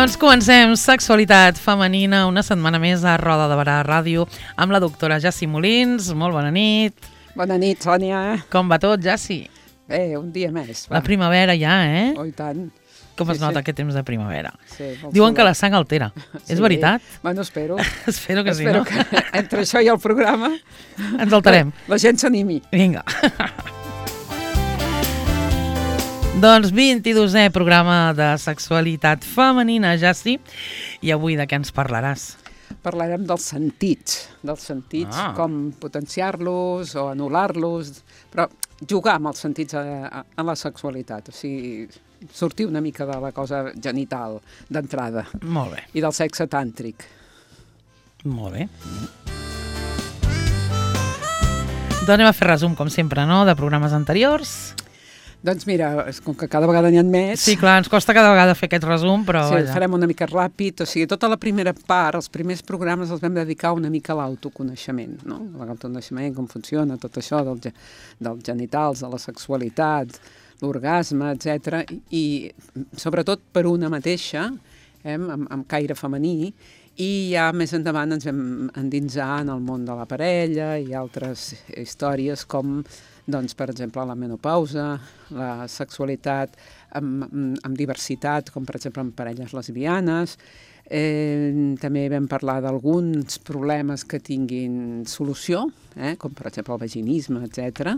Doncs comencem Sexualitat Femenina, una setmana més a Roda de Barà Ràdio amb la doctora Jassi Molins. Molt bona nit. Bona nit, Sònia. Com va tot, Jassi? Bé, un dia més. Va. La primavera ja, eh? Oh, i tant. Com es nota aquest temps de primavera? Sí, diuen que la sang altera. És veritat? Bueno, espero. Espero que sí, no? no? Que entre això i el programa ens alterem. La gent s'animi. Vinga. Doncs 22è programa de Sexualitat Femenina, Jassi. I avui de què ens parlaràs? Parlarem dels sentits, com potenciar-los o anul·lar-los, però jugar amb els sentits en la sexualitat, o sigui, sortir una mica de la cosa genital d'entrada. Molt bé. I del sexe tàntric. Molt bé. Doncs anem a fer resum, com sempre, no?, de programes anteriors. Doncs mira, com que cada vegada n'hi ha més... Sí, clar, ens costa cada vegada fer aquest resum, però... Sí, farem una mica ràpid, o sigui, tota la primera part, els primers programes els vam dedicar una mica a l'autoconeixement, no? L'autoconeixement, com funciona, tot això dels genitals, de la sexualitat, l'orgasme, etc. I sobretot per una mateixa, amb caire femení, i ja més endavant ens vam endinsar en el món de la parella i altres històries com... doncs, per exemple, la menopausa, la sexualitat amb diversitat, com per exemple amb parelles lesbianes. També vam parlar d'alguns problemes que tinguin solució, com per exemple el vaginisme, etc.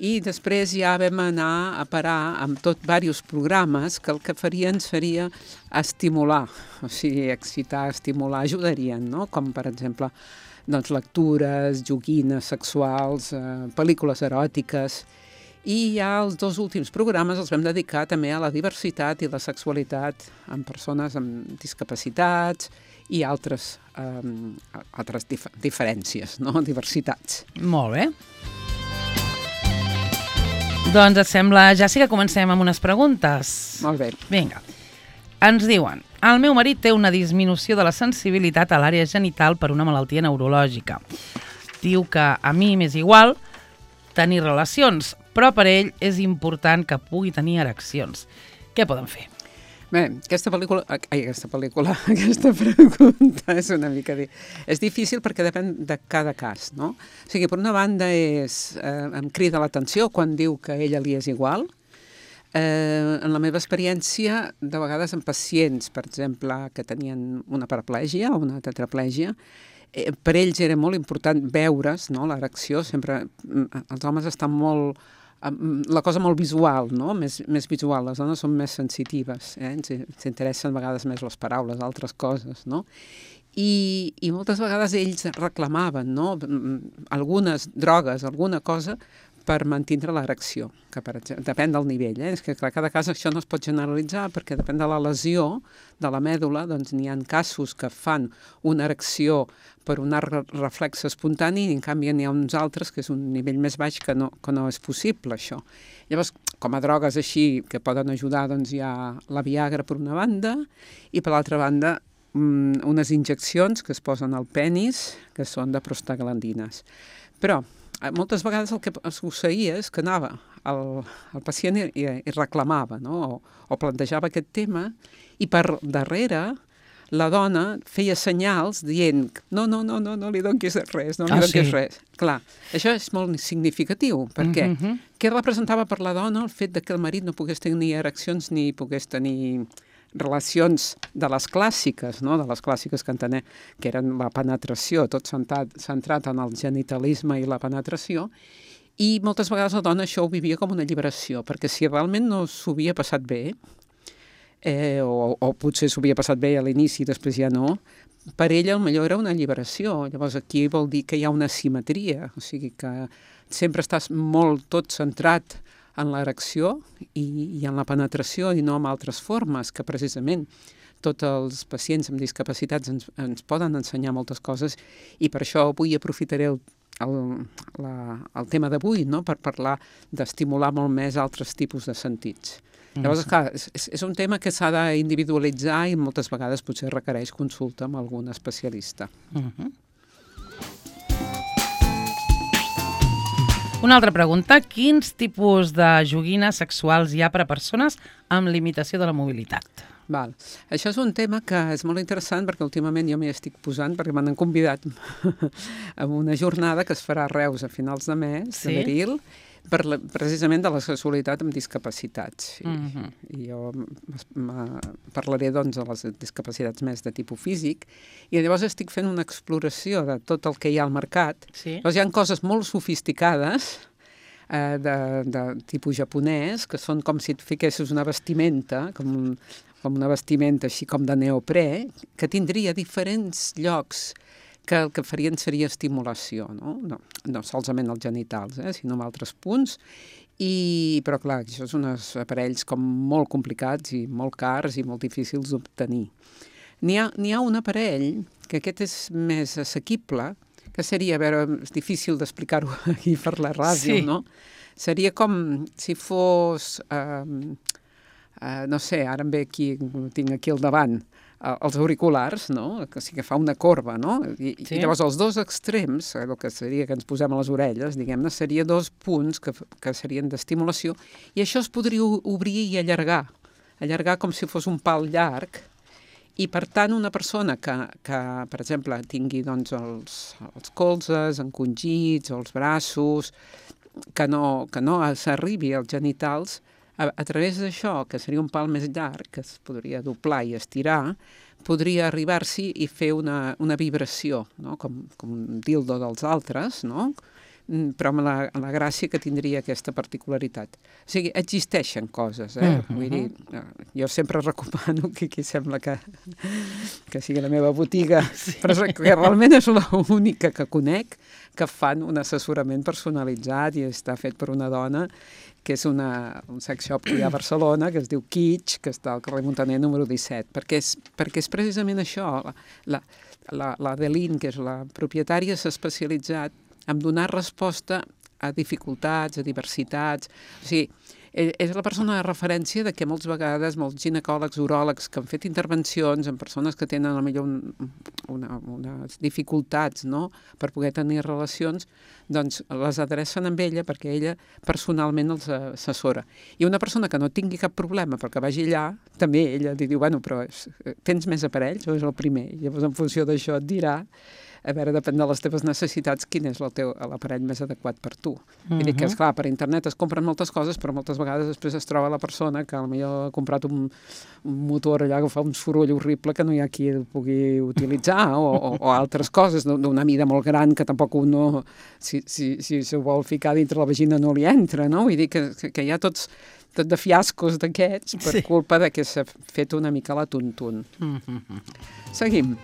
I després ja vam anar a parar amb diversos programes que el que farien seria estimular, o sigui, excitar, estimular, ajudarien, no? Com per exemple... doncs lectures, joguines sexuals, pel·lícules eròtiques. I ja els dos últims programes els vam dedicar també a la diversitat i la sexualitat amb persones amb discapacitats i altres diferències, no? Diversitats. Molt bé. Doncs et sembla, ja sí que comencem amb unes preguntes. Molt bé. Vinga. Ens diuen, el meu marit té una disminució de la sensibilitat a l'àrea genital per una malaltia neurològica. Diu que a mi m'és igual tenir relacions, però per ell és important que pugui tenir ereccions. Què poden fer? Bé, aquesta pregunta és una mica... És difícil perquè depèn de cada cas, no? O sigui, per una banda em crida l'atenció quan diu que a ella li és igual. En la meva experiència, de vegades amb pacients, per exemple, que tenien una paraplègia o una tetraplègia, per ells era molt important veure's, no?, l'erecció. Sempre els homes estan molt... la cosa molt visual, no?, més visual. Les dones són més sensitives, ens interessen a vegades més les paraules, altres coses, no? I moltes vegades ells reclamaven, no?, algunes drogues, alguna cosa per mantenir l'erecció, que per exemple, depèn del nivell. És que clar, cada cas això no es pot generalitzar perquè depèn de la lesió de la mèdula, doncs n'hi ha casos que fan una erecció per un arc reflex espontani i en canvi n'hi ha uns altres que és un nivell més baix que no és possible això. Llavors, com a drogues així que poden ajudar, doncs hi ha la Viagra per una banda i per l'altra banda unes injeccions que es posen al penis que són de prostaglandines. Però moltes vegades el que succeïa és que anava el pacient i reclamava, no? O plantejava aquest tema i per darrere la dona feia senyals dient no li donquis res, no li donquis res. Clar, això és molt significatiu perquè què representava per la dona el fet que el marit no pogués tenir ereccions ni pogués tenir relacions de les clàssiques, no? De les clàssiques que entenem que eren la penetració, tot centrat en el genitalisme i la penetració, i moltes vegades la dona això ho vivia com una alliberació, perquè si realment no s'ho havia passat bé, o potser s'ho havia passat bé a l'inici i després ja no, per ella millor era una alliberació. Llavors aquí vol dir que hi ha una asimetria, o sigui que sempre estàs molt tot centrat en l'erecció i en la penetració i no en altres formes, que precisament tots els pacients amb discapacitats ens poden ensenyar moltes coses i per això avui aprofitaré el tema d'avui, no?, per parlar d'estimular molt més altres tipus de sentits. Llavors, clar, és un tema que s'ha d'individualitzar i moltes vegades potser requereix consulta amb algun especialista. Una altra pregunta, quins tipus de joguines sexuals hi ha per a persones amb limitació de la mobilitat? Val. Això és un tema que és molt interessant perquè últimament jo m'hi estic posant perquè m'han convidat a una jornada que es farà a Reus a finals de mes, Sí? d'abril, precisament de la sexualitat amb discapacitats. I jo parlaré doncs de les discapacitats més de tipus físic i llavors estic fent una exploració de tot el que hi ha al mercat. Sí. Llavors hi ha coses molt sofisticades de tipus japonès, que són com si et fiquessis una vestimenta, com una vestimenta així com de neoprè, que tindria diferents llocs que el que farien seria estimulació, no solament els genitals, sinó en altres punts, però clar, això són uns aparells com molt complicats i molt cars i molt difícils d'obtenir. N'hi ha un aparell, que aquest és més assequible, que seria, a veure, és difícil d'explicar-ho aquí per la ràdio, no? Seria com si fos, no sé, ara em ve aquí, tinc aquí al davant, els auriculars, no? Que sí que fa una corba, no? I llavors els dos extrems, el que seria que ens posem a les orelles, diguem-ne, seria dos punts que serien d'estimulació, i això es podria obrir i allargar com si fos un pal llarg, i per tant una persona que per exemple, tingui doncs, els colzes encongits o els braços, que no s'arribi als genitals, a través d'això, que seria un pal més llarg, que es podria doblar i estirar, podria arribar-s'hi i fer una vibració, no? Com un dildo dels altres, no? Però amb la gràcia que tindria aquesta particularitat. O sigui, existeixen coses, Vull dir, jo sempre recomano que aquí sembla que sigui la meva botiga, però que realment és l'única que conec que fan un assessorament personalitzat i està fet per una dona que és un sex shop que hi ha a Barcelona, que es diu Kitsch, que està al carrer Muntaner número 17, perquè és precisament això. L'Adeline, que és la propietària, s'ha especialitzat en donar resposta a dificultats, a diversitats. O sigui, és la persona de referència de que moltes vegades molts ginecòlegs, uròlegs que han fet intervencions en persones que tenen potser unes dificultats, no?, per poder tenir relacions, doncs les adrecen amb ella perquè ella personalment els assessora. I una persona que no tingui cap problema perquè vagi allà, també ella li diu, bueno, però tens més aparells o és el primer? I llavors en funció d'això et dirà, a veure, depèn de les teves necessitats, quin és l'aparell més adequat per tu. Vull dir que, esclar, per internet es compren moltes coses, però moltes vegades després es troba la persona que potser ha comprat un motor allà que fa un soroll horrible que no hi ha qui el pugui utilitzar, o altres coses d'una mida molt gran que tampoc un si s'ho vol ficar dintre la vagina no li entra, no? Vull dir que hi ha tot de fiascos d'aquests per culpa de que s'ha fet una mica la tuntun. Seguim.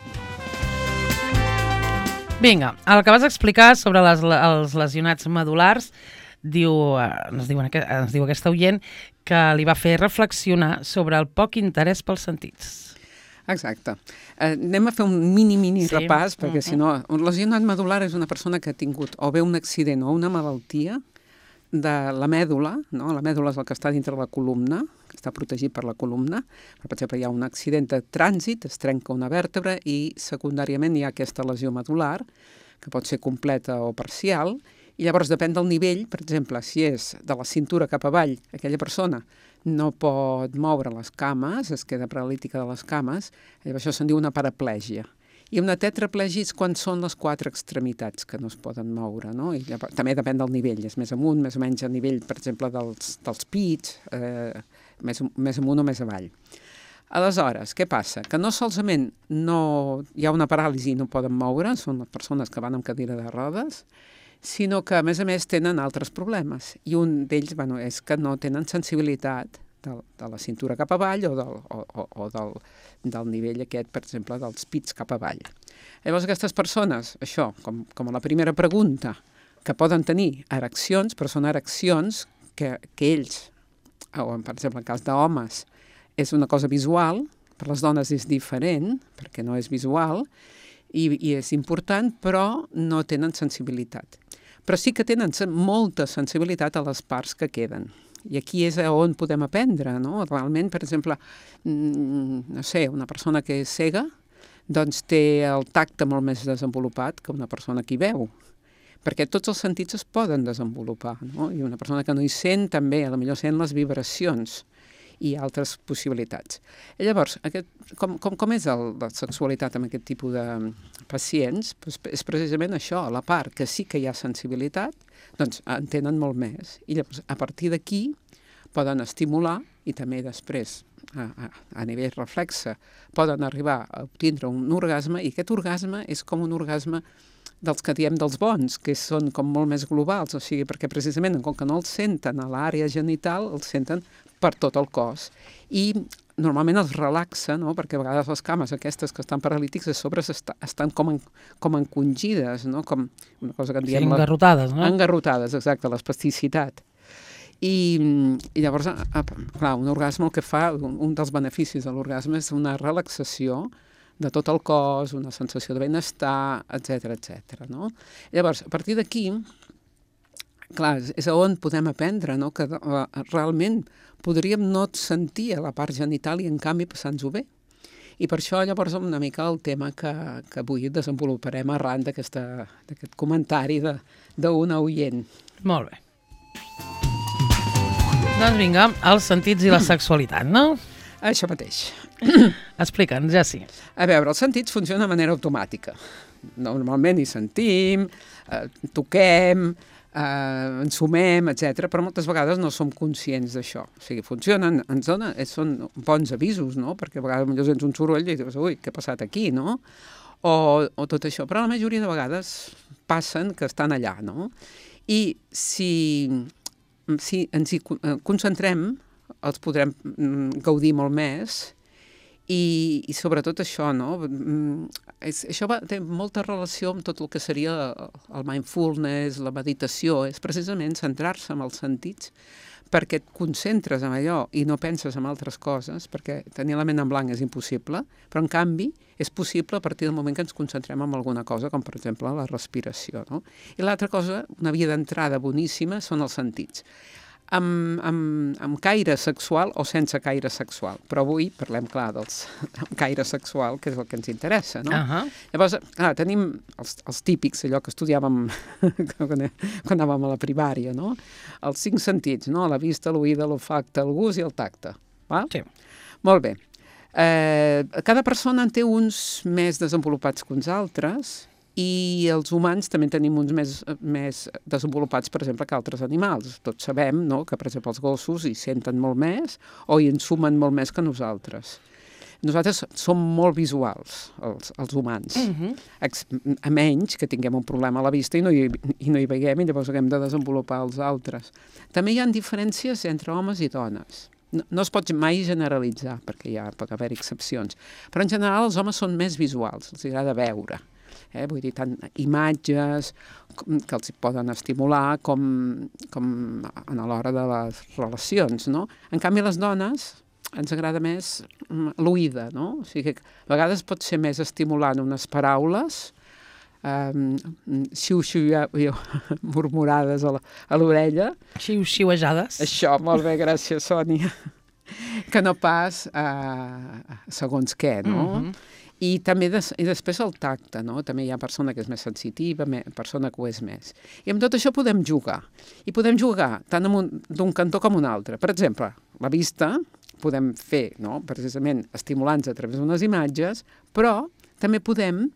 Vinga, el que vas explicar sobre els lesionats medul·lars, ens diu aquesta oient que li va fer reflexionar sobre el poc interès pels sentits. Exacte. Anem a fer un mini repàs, perquè si no, un lesionat medul·lar és una persona que ha tingut o bé un accident o una malaltia de la mèdula, no? La mèdula és el que està dintre la columna, que està protegit per la columna. Per exemple, hi ha un accident de trànsit, es trenca una vèrtebra i secundàriament hi ha aquesta lesió medul·lar, que pot ser completa o parcial, i llavors depèn del nivell, per exemple, si és de la cintura cap avall, aquella persona no pot moure les cames, es queda paralítica de les cames, llavors això se'n diu una paraplègia. I una tetraplegia és quan són les 4 extremitats que no es poden moure, no? I llavors, també depèn del nivell, és més amunt, més o menys a nivell, per exemple, dels pits, més amunt o més avall. Aleshores, què passa? Que no solament hi ha una paràlisi i no poden moure, són les persones que van amb cadira de rodes, sinó que, a més, tenen altres problemes. I un d'ells, és que no tenen sensibilitat de la cintura cap avall o del nivell aquest, per exemple, dels pits cap avall. Llavors, aquestes persones, això, com a la primera pregunta, que poden tenir ereccions, però són ereccions que ells, o per exemple, en cas d'homes, és una cosa visual, per les dones és diferent, perquè no és visual, i és important, però no tenen sensibilitat. Però sí que tenen molta sensibilitat a les parts que queden. I aquí és on podem aprendre, no? Realment, per exemple, no sé, una persona que és cega, doncs té el tacte molt més desenvolupat que una persona que hi veu, perquè tots els sentits es poden desenvolupar, no? I una persona que no hi sent també, potser sent les vibracions. i altres possibilitats. I llavors, com és la sexualitat amb aquest tipus de pacients? Doncs és precisament això, la part que sí que hi ha sensibilitat, doncs en tenen molt més. I llavors, a partir d'aquí, poden estimular i també després, a nivell reflexe, poden arribar a obtindre un orgasme, i aquest orgasme és com un orgasme dels que diem dels bons, que són com molt més globals, o sigui, perquè precisament com que no els senten a l'àrea genital, els senten per tot el cos. I normalment els relaxa, no? Perquè a vegades les cames aquestes que estan paralítics a sobre estan com encongides, no? Com una cosa que en diem... Sí, engarrotades, no? Engarrotades, exacte, l'espasticitat. I llavors, clar, un orgasme el que fa, un dels beneficis de l'orgasme és una relaxació de tot el cos, una sensació de benestar, etc, no? Llavors, a partir d'aquí, clar, és on podem aprendre, no? Que realment podríem no sentir a la part genital i en canvi passar-nos-ho bé. I per això llavors una mica el tema que avui desenvoluparem arran d'aquest comentari d'una oient. Molt bé. Doncs vinga, els sentits i la sexualitat, no? Això mateix. Explica'ns, ja sí. A veure, els sentits funcionen de manera automàtica. Normalment hi sentim, toquem, ensumem, etc, però moltes vegades no som conscients d'això. O sigui, funcionen, són bons avisos, no? Perquè a vegades potser sents un soroll i dius, ui, què ha passat aquí, no? O tot això. Però la majoria de vegades passen que estan allà, no? I si ens hi concentrem, els podrem gaudir molt més i sobretot això, no? Això té molta relació amb tot el que seria el mindfulness, la meditació, és precisament centrar-se en els sentits perquè et concentres en allò i no penses en altres coses, perquè tenir la ment en blanc és impossible, però en canvi és possible a partir del moment que ens concentrem en alguna cosa, com per exemple la respiració, no? I l'altra cosa, una via d'entrada boníssima, són els sentits. Amb caire sexual o sense caire sexual. Però avui parlem, clar, amb caire sexual, que és el que ens interessa, no? Llavors, clar, tenim els típics, allò que estudiàvem quan anàvem a la primària, no? Els 5 sentits, no? La vista, l'oïda, l'olfacte, el gust i el tacte. Va? Sí. Molt bé. Cada persona en té uns més desenvolupats que uns altres, i els humans també tenim uns més desenvolupats, per exemple, que altres animals. Tots sabem, no?, que, per exemple, els gossos hi senten molt més o hi ensumen molt més que nosaltres. Nosaltres som molt visuals, els humans, a menys que tinguem un problema a la vista i no hi veiem i llavors haguem de desenvolupar els altres. També hi ha diferències entre homes i dones. No es pot mai generalitzar, perquè pot haver excepcions, però en general els homes són més visuals, els agrada veure. Vull dir, tant imatges que els poden estimular com a l'hora de les relacions, no? En canvi, a les dones ens agrada més l'oïda, no? O sigui, a vegades pot ser més estimulant unes paraules, murmurades a l'orella. Xiu-xiuejades. Això, molt bé, gràcies, Sònia. Que no pas segons què, no? I també i després el tacte, no? També hi ha persona que és més sensitiva, persona que ho és més. I amb tot això podem jugar. I podem jugar tant d'un cantó com un altre. Per exemple, la vista podem fer, no?, precisament estimulant-nos a través d'unes imatges, però també podem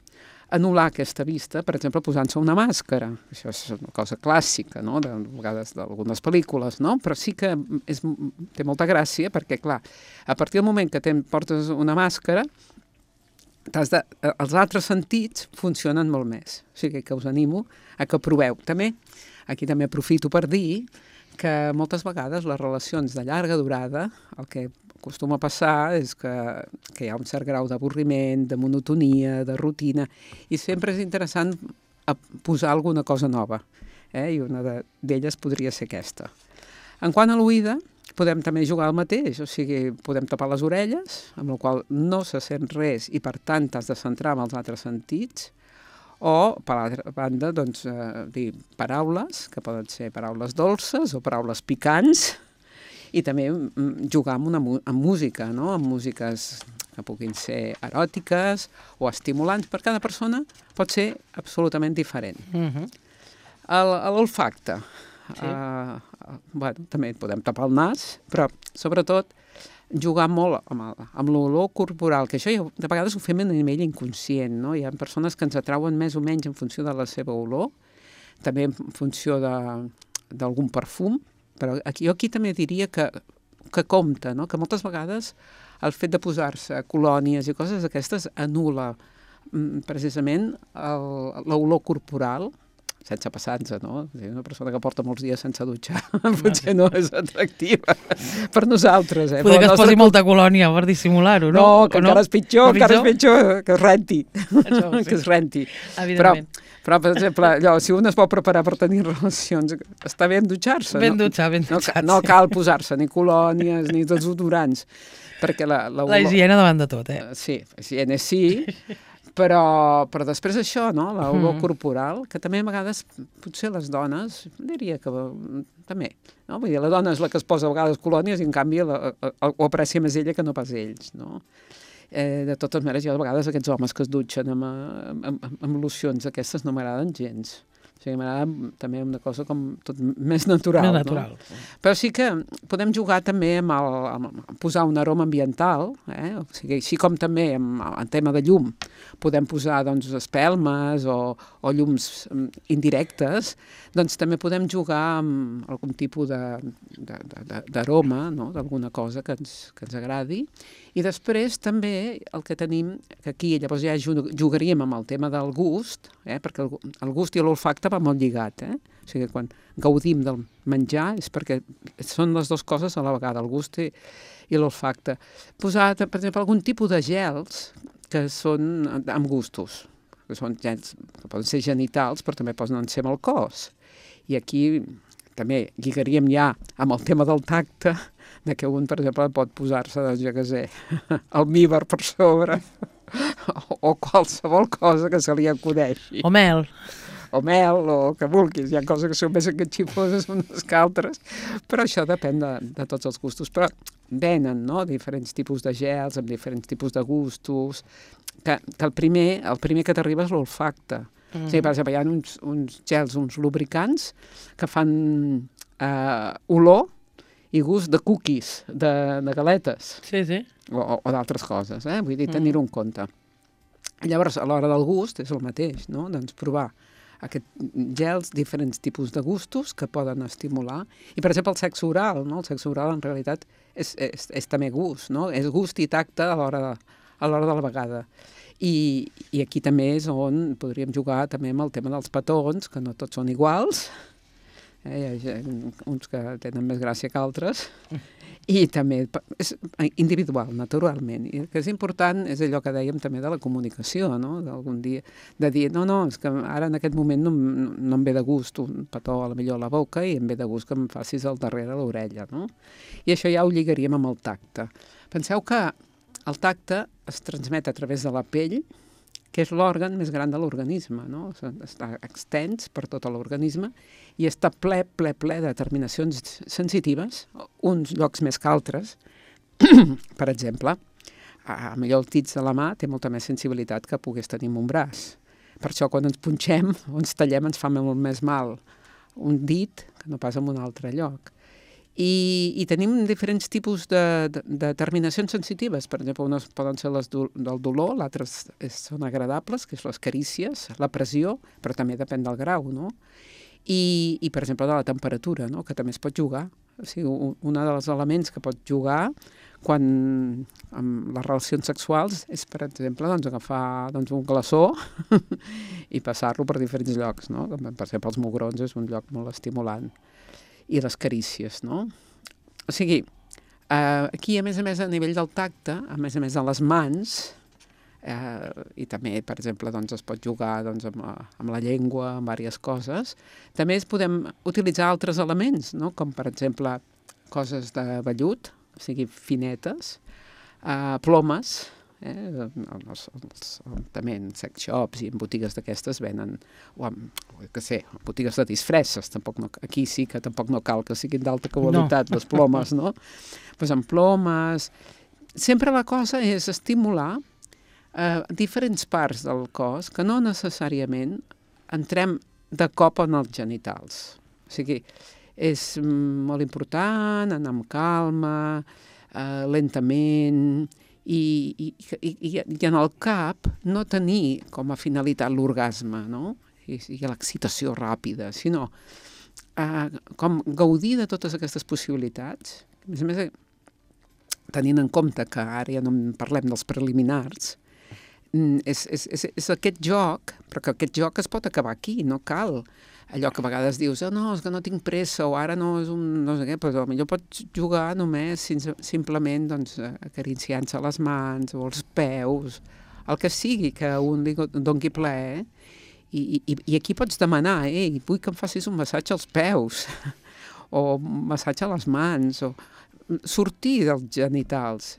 anul·lar aquesta vista, per exemple, posant-se una màscara. Això és una cosa clàssica, no?, de vegades d'algunes pel·lícules, no? Però sí que té molta gràcia perquè, clar, a partir del moment que portes una màscara, els altres sentits funcionen molt més. O sigui que us animo a que proveu. Aquí també aprofito per dir que moltes vegades les relacions de llarga durada, el que acostuma a passar és que hi ha un cert grau d'avorriment, de monotonia, de rutina, i sempre és interessant posar alguna cosa nova. I una d'elles podria ser aquesta. En quant a l'oïda, podem també jugar al mateix, o sigui, podem tapar les orelles, amb la qual no se sent res i per tant t'has de centrar en els altres sentits, o, per l'altra banda, doncs, dir paraules, que poden ser paraules dolces o paraules picants, i també jugar amb música, no?, amb músiques que puguin ser eròtiques o estimulants. Per cada persona pot ser absolutament diferent. L'olfacte. Sí. Bueno, també podem tapar el nas, però sobretot jugar molt amb l'olor corporal, que això ja, de vegades ho fem a nivell inconscient, no? Hi ha persones que ens atrauen més o menys en funció de la seva olor, també en funció d'algun perfum, però jo aquí també diria que compta, no? Que moltes vegades el fet de posar-se colònies i coses d'aquestes anul·la precisament l'olor corporal, sense passar-nos, no? Una persona que porta molts dies sense dutxar potser no és atractiva per nosaltres. Poder que es posi molta colònia per dissimular-ho, no? No, que encara és pitjor, que es renti. Això, sí. Que es renti. Evidentment. Però, per exemple, si un es vol preparar per tenir relacions, està bé en dutxar-se. Ben dutxat, no cal posar-se ni colònies ni desodorants, perquè la higiene davant de tot, Sí, higiene sí, però després això, no? L'olor corporal, que també a vegades, potser les dones, diria que també, no? Vull dir, la dona és la que es posa a vegades colònies i en canvi ho aprecia més ella que no pas ells, no? De totes maneres, jo a vegades aquests homes que es dutxen amb locions aquestes no m'agraden gens. O sigui, m'agrada també una cosa com tot més natural. Més natural. No? Però sí que podem jugar també amb posar un aroma ambiental, o sigui, així com també en tema de llum podem posar doncs, espelmes o llums indirectes, doncs també podem jugar amb algun tipus d'aroma, no? D'alguna cosa que ens agradi. I després també el que tenim, que aquí llavors ja jugaríem amb el tema del gust, perquè el gust i l'olfacte va molt lligat. O sigui, quan gaudim del menjar és perquè són les dues coses a la vegada, el gust i l'olfacte. Posar, per exemple, algun tipus de gels que són amb gustos, que són gels que poden ser genitals, però també poden ser amb el cos. I aquí també lligaríem ja amb el tema del tacte, de que un, per exemple, pot posar-se, doncs, jo què sé, almívar per sobre, o qualsevol cosa que se li acudeixi. O mel. O mel, o que vulguis. Hi ha coses que són més enganxifoses unes que altres, però això depèn de tots els gustos. Però venen, no?, diferents tipus de gels, amb diferents tipus de gustos, que el primer que t'arriba és l'olfacte. O sigui, per exemple, hi ha uns gels, uns lubricants, que fan olor i gust de cookies, de galetes. Sí, sí. O d'altres coses, vull dir, tenir-ho en compte. Llavors, a l'hora del gust és el mateix, no? Doncs provar aquests gels, diferents tipus de gustos que poden estimular. I, per exemple, el sexe oral, no? El sexe oral, en realitat, és també gust, no? És gust i tacte a l'hora de la vegada. I aquí també és on podríem jugar també amb el tema dels petons, que no tots són iguals, hi ha uns que tenen més gràcia que altres, i també és individual, naturalment. I el que és important és allò que dèiem també de la comunicació, no? D'algun dia, de dir, no, és que ara en aquest moment no em ve de gust un petó a la millor a la boca i em ve de gust que em facis al darrere l'orella, no? I això ja ho lligaríem amb el tacte. Penseu que el tacte es transmet a través de la pell, que és l'òrgan més gran de l'organisme, no? Està extens per tot l'organisme i està ple de terminacions sensitives, uns llocs més que altres. Per exemple, millor el dit de la mà té molta més sensibilitat que pogués tenir en un braç. Per això quan ens punxem o ens tallem ens fa molt més mal un dit que no pas en un altre lloc. I tenim diferents tipus de terminacions sensitives. Per exemple, unes poden ser les del dolor, l'altres són agradables, que és les carícies, la pressió, però també depèn del grau, no? I per exemple, de la temperatura, no? Que també es pot jugar. O sigui, un dels elements que pot jugar amb les relacions sexuals és, per exemple, agafar un glaçó i passar-lo per diferents llocs, no? Per exemple, els mugrons és un lloc molt estimulant. I les carícies, no? O sigui, aquí, a més, a nivell del tacte, a més de les mans, i també, per exemple, es pot jugar amb la llengua, amb diverses coses, també podem utilitzar altres elements, no? Com, per exemple, coses de vellut, o sigui, finetes, plomes, també en sex shops i en botigues d'aquestes venen, botigues de disfresses, aquí sí que tampoc no cal que siguin d'alta qualitat, les plomes, no? Doncs amb plomes. Sempre la cosa és estimular diferents parts del cos que no necessàriament entrem de cop en els genitals. O sigui, és molt important anar amb calma, lentament, i en el cap no tenir com a finalitat l'orgasme, no? I l'excitació ràpida, sinó com gaudir de totes aquestes possibilitats. A més, tenint en compte que ara ja no en parlem dels preliminars, és aquest joc, però que aquest joc es pot acabar aquí, no cal allò que a vegades dius, no, és que no tinc pressa, o ara no és un no sé què, però potser pots jugar només simplement doncs, acariciant-se les mans o els peus, el que sigui que un li doni plaer, i aquí pots demanar, vull que em facis un massatge als peus, o un massatge a les mans, o sortir dels genitals.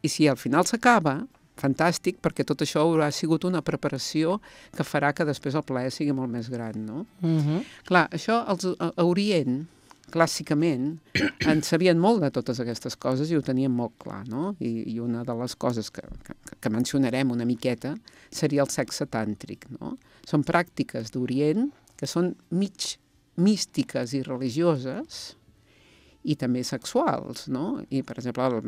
I si al final s'acaba, fantàstic, perquè tot això haurà sigut una preparació que farà que després el plaer sigui molt més gran, no? Clar, això a Orient, clàssicament, en sabien molt de totes aquestes coses i ho tenien molt clar, no? I una de les coses que mencionarem una miqueta seria el sexe tàntric, no? Són pràctiques d'Orient que són mig místiques i religioses i també sexuals, no? I, per exemple,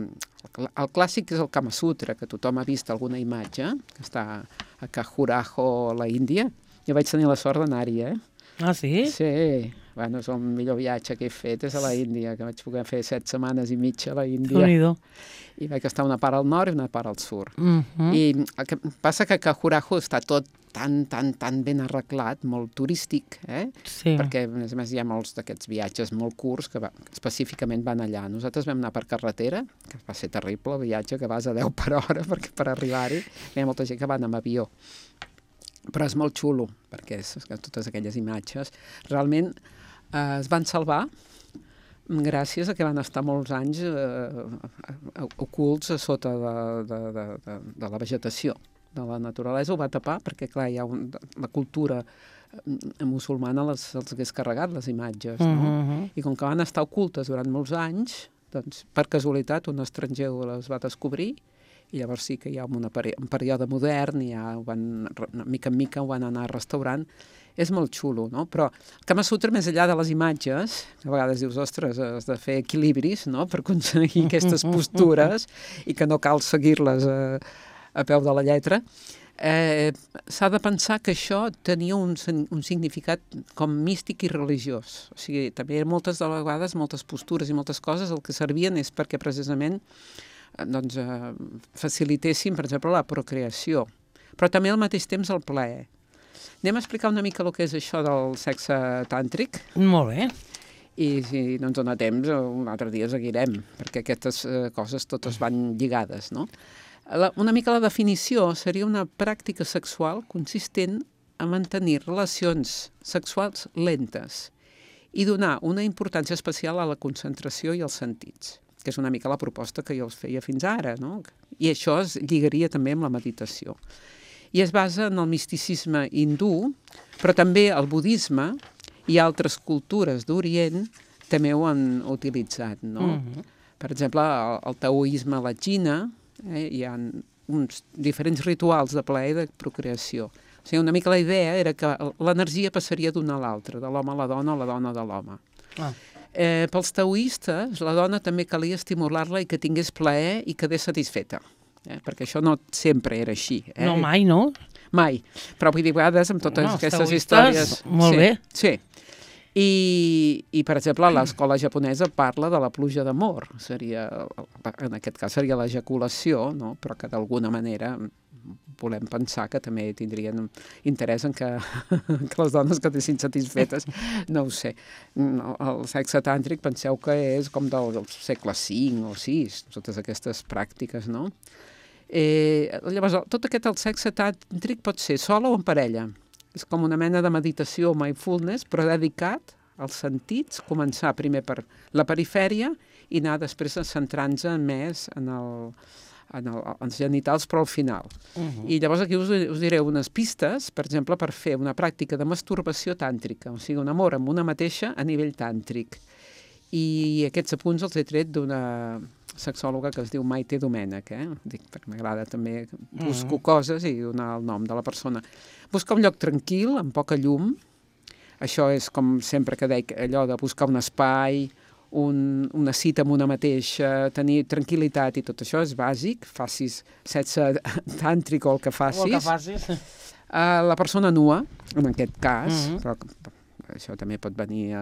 el clàssic és el Kama Sutra, que tothom ha vist alguna imatge, que està a Khajuraho, a la Índia. Jo vaig tenir la sort d'anar-hi, Ah, sí? Sí. Bueno, és el millor viatge que he fet, és a la Índia, que vaig poder fer 7 setmanes i mitja a la Índia. Déu-n'hi-do. I vaig estar una part al nord i una part al sud. I el que passa que Khajuraho està tot tan ben arreglat, molt turístic, Sí. perquè a més hi ha molts d'aquests viatges molt curts que específicament van allà. Nosaltres vam anar per carretera, que va ser terrible el viatge, que vas a 10 per hora, perquè per arribar-hi hi ha molta gent que van amb avió. Però és molt xulo, perquè totes aquelles imatges realment es van salvar gràcies a que van estar molts anys ocults a sota de la vegetació de la naturalesa. Ho va tapar perquè, clar, la cultura musulmana els hagués carregat les imatges, no? I com que van estar ocultes durant molts anys, doncs, per casualitat, un estranger les va descobrir i llavors sí que hi ha un període modern i ja mica en mica ho van anar restaurant. És molt xulo, no? Però el Kama Sutra, més enllà de les imatges, a vegades dius, ostres, has de fer equilibris, no?, per aconseguir aquestes postures i que no cal seguir-les a peu de la lletra, s'ha de pensar que això tenia un significat com místic i religiós. O sigui, també moltes de vegades, moltes postures i moltes coses el que servien és perquè precisament doncs, facilitessin, per exemple, la procreació, però també al mateix temps el plaer. Anem a explicar una mica el que és això del sexe tàntric? Molt bé. I si no ens dona temps, un altre dia seguirem, perquè aquestes coses totes van lligades, no? Una mica la definició seria una pràctica sexual consistent a mantenir relacions sexuals lentes i donar una importància especial a la concentració i als sentits, que és una mica la proposta que jo els feia fins ara, no? I això es lligaria també amb la meditació. I es basa en el misticisme hindú, però també el budisme i altres cultures d'Orient també ho han utilitzat, no? Per exemple, el taoisme a la Xina hi ha uns diferents rituals de plaer i de procreació. O sigui, una mica la idea era que l'energia passaria d'una a l'altra, de l'home a la dona o la dona de l'home. Pels taoistes, la dona també calia estimular-la i que tingués plaer i quedés satisfeta. Perquè això no sempre era així. No, mai, no? Mai. Però vull dir, a vegades amb totes aquestes històries... Molt bé. Sí. I, per exemple, l'escola japonesa parla de la pluja d'amor. En aquest cas seria l'ejaculació, no? Però que d'alguna manera volem pensar que també tindrien interès en que les dones quedessin satisfetes. No ho sé. El sexe tàntric penseu que és com del segle V o VI, totes aquestes pràctiques, no? Llavors, tot aquest el sexe tàntric pot ser sol o en parella. És com una mena de meditació, mindfulness, però dedicat als sentits, començar primer per la perifèria i anar després centrant-se més en els genitals, però al final. I llavors aquí us diré unes pistes, per exemple, per fer una pràctica de masturbació tàntrica, o sigui, un amor amb una mateixa a nivell tàntric. I aquests apunts els he tret d'una sexòloga que es diu Maite Domènech, dic, perquè m'agrada també, busco coses i donar el nom de la persona. Busca un lloc tranquil, amb poca llum, això és com sempre que deia, allò de buscar un espai, una cita amb una mateixa, tenir tranquil·litat i tot això és bàsic, facis sexe tàntric o el que facis. La persona nua, en aquest cas, però això també pot venir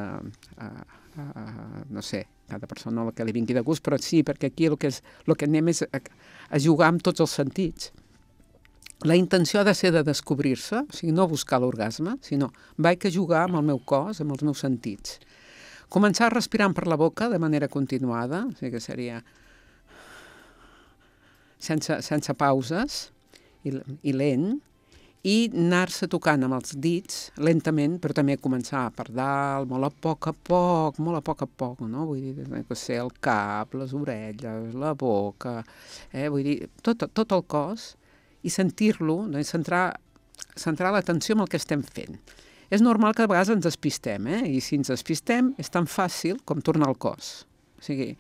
no sé, cada persona el que li vingui de gust, però sí, perquè aquí el que anem és a jugar amb tots els sentits. La intenció ha de ser de descobrir-se, o sigui, no buscar l'orgasme, sinó vaig a jugar amb el meu cos, amb els meus sentits. Començar respirant per la boca de manera continuada, o sigui que seria sense pauses i lent, i anar-se tocant amb els dits lentament, però també començar per dalt, molt a poc a poc, no? Vull dir, que sé, el cap, les orelles, la boca, vull dir, tot el cos, i sentir-lo, centrar l'atenció en el que estem fent. És normal que a vegades ens despistem, i si ens despistem és tan fàcil com tornar al cos. O sigui,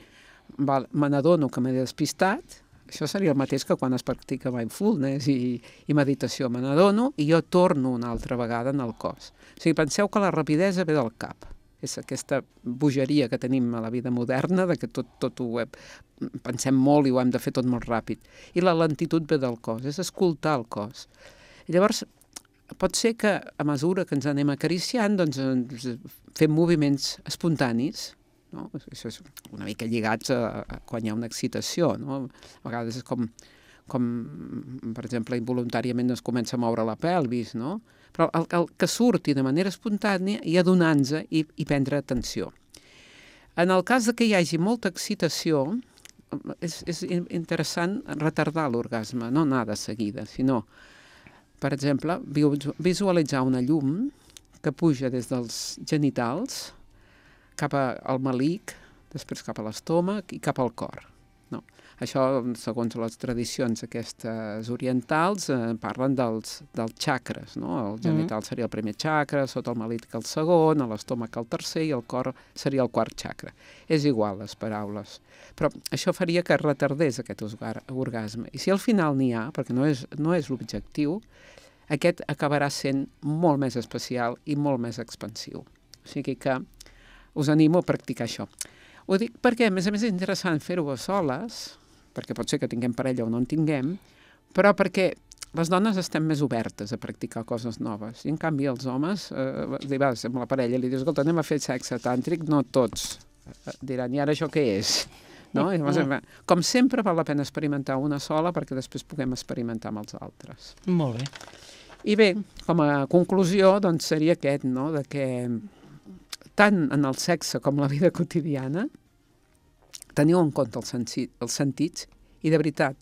me n'adono que m'he despistat, això seria el mateix que quan es practica mindfulness i meditació. Me n'adono i jo torno una altra vegada en el cos. O sigui, penseu que la rapidesa ve del cap. És aquesta bogeria que tenim a la vida moderna, de que tot ho pensem molt i ho hem de fer tot molt ràpid. I la lentitud ve del cos, és escoltar el cos. I llavors, pot ser que a mesura que ens anem acariciant, doncs fem moviments espontanis, no? Això és una mica lligats a quan hi ha una excitació, no? A vegades és com per exemple, involuntàriament es comença a moure la pelvis, no? Però el que surti de manera espontània i adonar-nos i prendre atenció. En el cas que hi hagi molta excitació, és interessant retardar l'orgasme, no anar de seguida, sinó, per exemple, visualitzar una llum que puja des dels genitals cap al melic, després cap a l'estómac i cap al cor. No. Això, segons les tradicions aquestes orientals, parlen dels xacres. No? El genital seria el primer xacra, sota el melic el segon, a l'estómac el tercer i el cor seria el quart xacra. És igual, les paraules. Però això faria que retardés aquest orgasme. I si al final n'hi ha, perquè no és l'objectiu, aquest acabarà sent molt més especial i molt més expansiu. O sigui que us animo a practicar això. Ho dic perquè, a més és interessant fer-ho a soles, perquè pot ser que tinguem parella o no en tinguem, però perquè les dones estem més obertes a practicar coses noves. I, en canvi, els homes, vas amb la parella i li dius, escolta, anem a fer sexe tàntric, no tots. Diran, i ara això què és? No? I llavors, com sempre, val la pena experimentar una sola perquè després puguem experimentar amb els altres. Molt bé. I bé, com a conclusió, doncs seria aquest, no?, de que tant en el sexe com la vida quotidiana teniu en compte els sentits i, de veritat,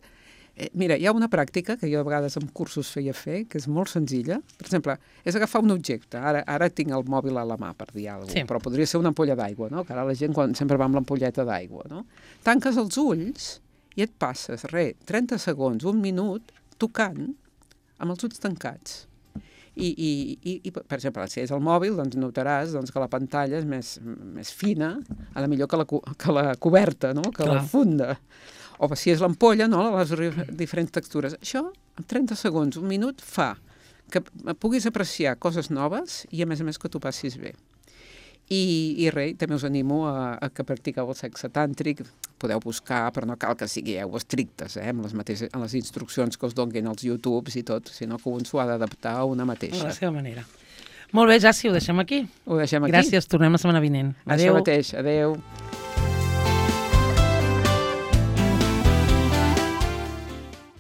mira, hi ha una pràctica que jo a vegades en cursos feia fer, que és molt senzilla. Per exemple, és agafar un objecte. Ara tinc el mòbil a la mà, per dir alguna cosa, però podria ser una ampolla d'aigua, no? Que ara la gent sempre va amb l'ampolleta d'aigua, no? Tanques els ulls i et passes, 30 segons, un minut, tocant amb els ulls tancats. I per exemple, si és el mòbil, doncs notaràs que la pantalla és més fina, a la millor que la coberta, no? Que la funda. O si és l'ampolla, no? Les diferents textures. Això, en 30 segons, un minut, fa que puguis apreciar coses noves i, a més, que t'ho passis bé. I res, també us animo a que practiqueu el sexe tàntric. Podeu buscar, però no cal que sigueu estrictes, amb les instruccions que us donguin als YouTubes i tot, sinó que un s'ho ha d'adaptar a una mateixa. A la seva manera. Molt bé, Jassi, ho deixem aquí. Ho deixem aquí. Gràcies, tornem la setmana vinent. Adéu. Això mateix, adéu.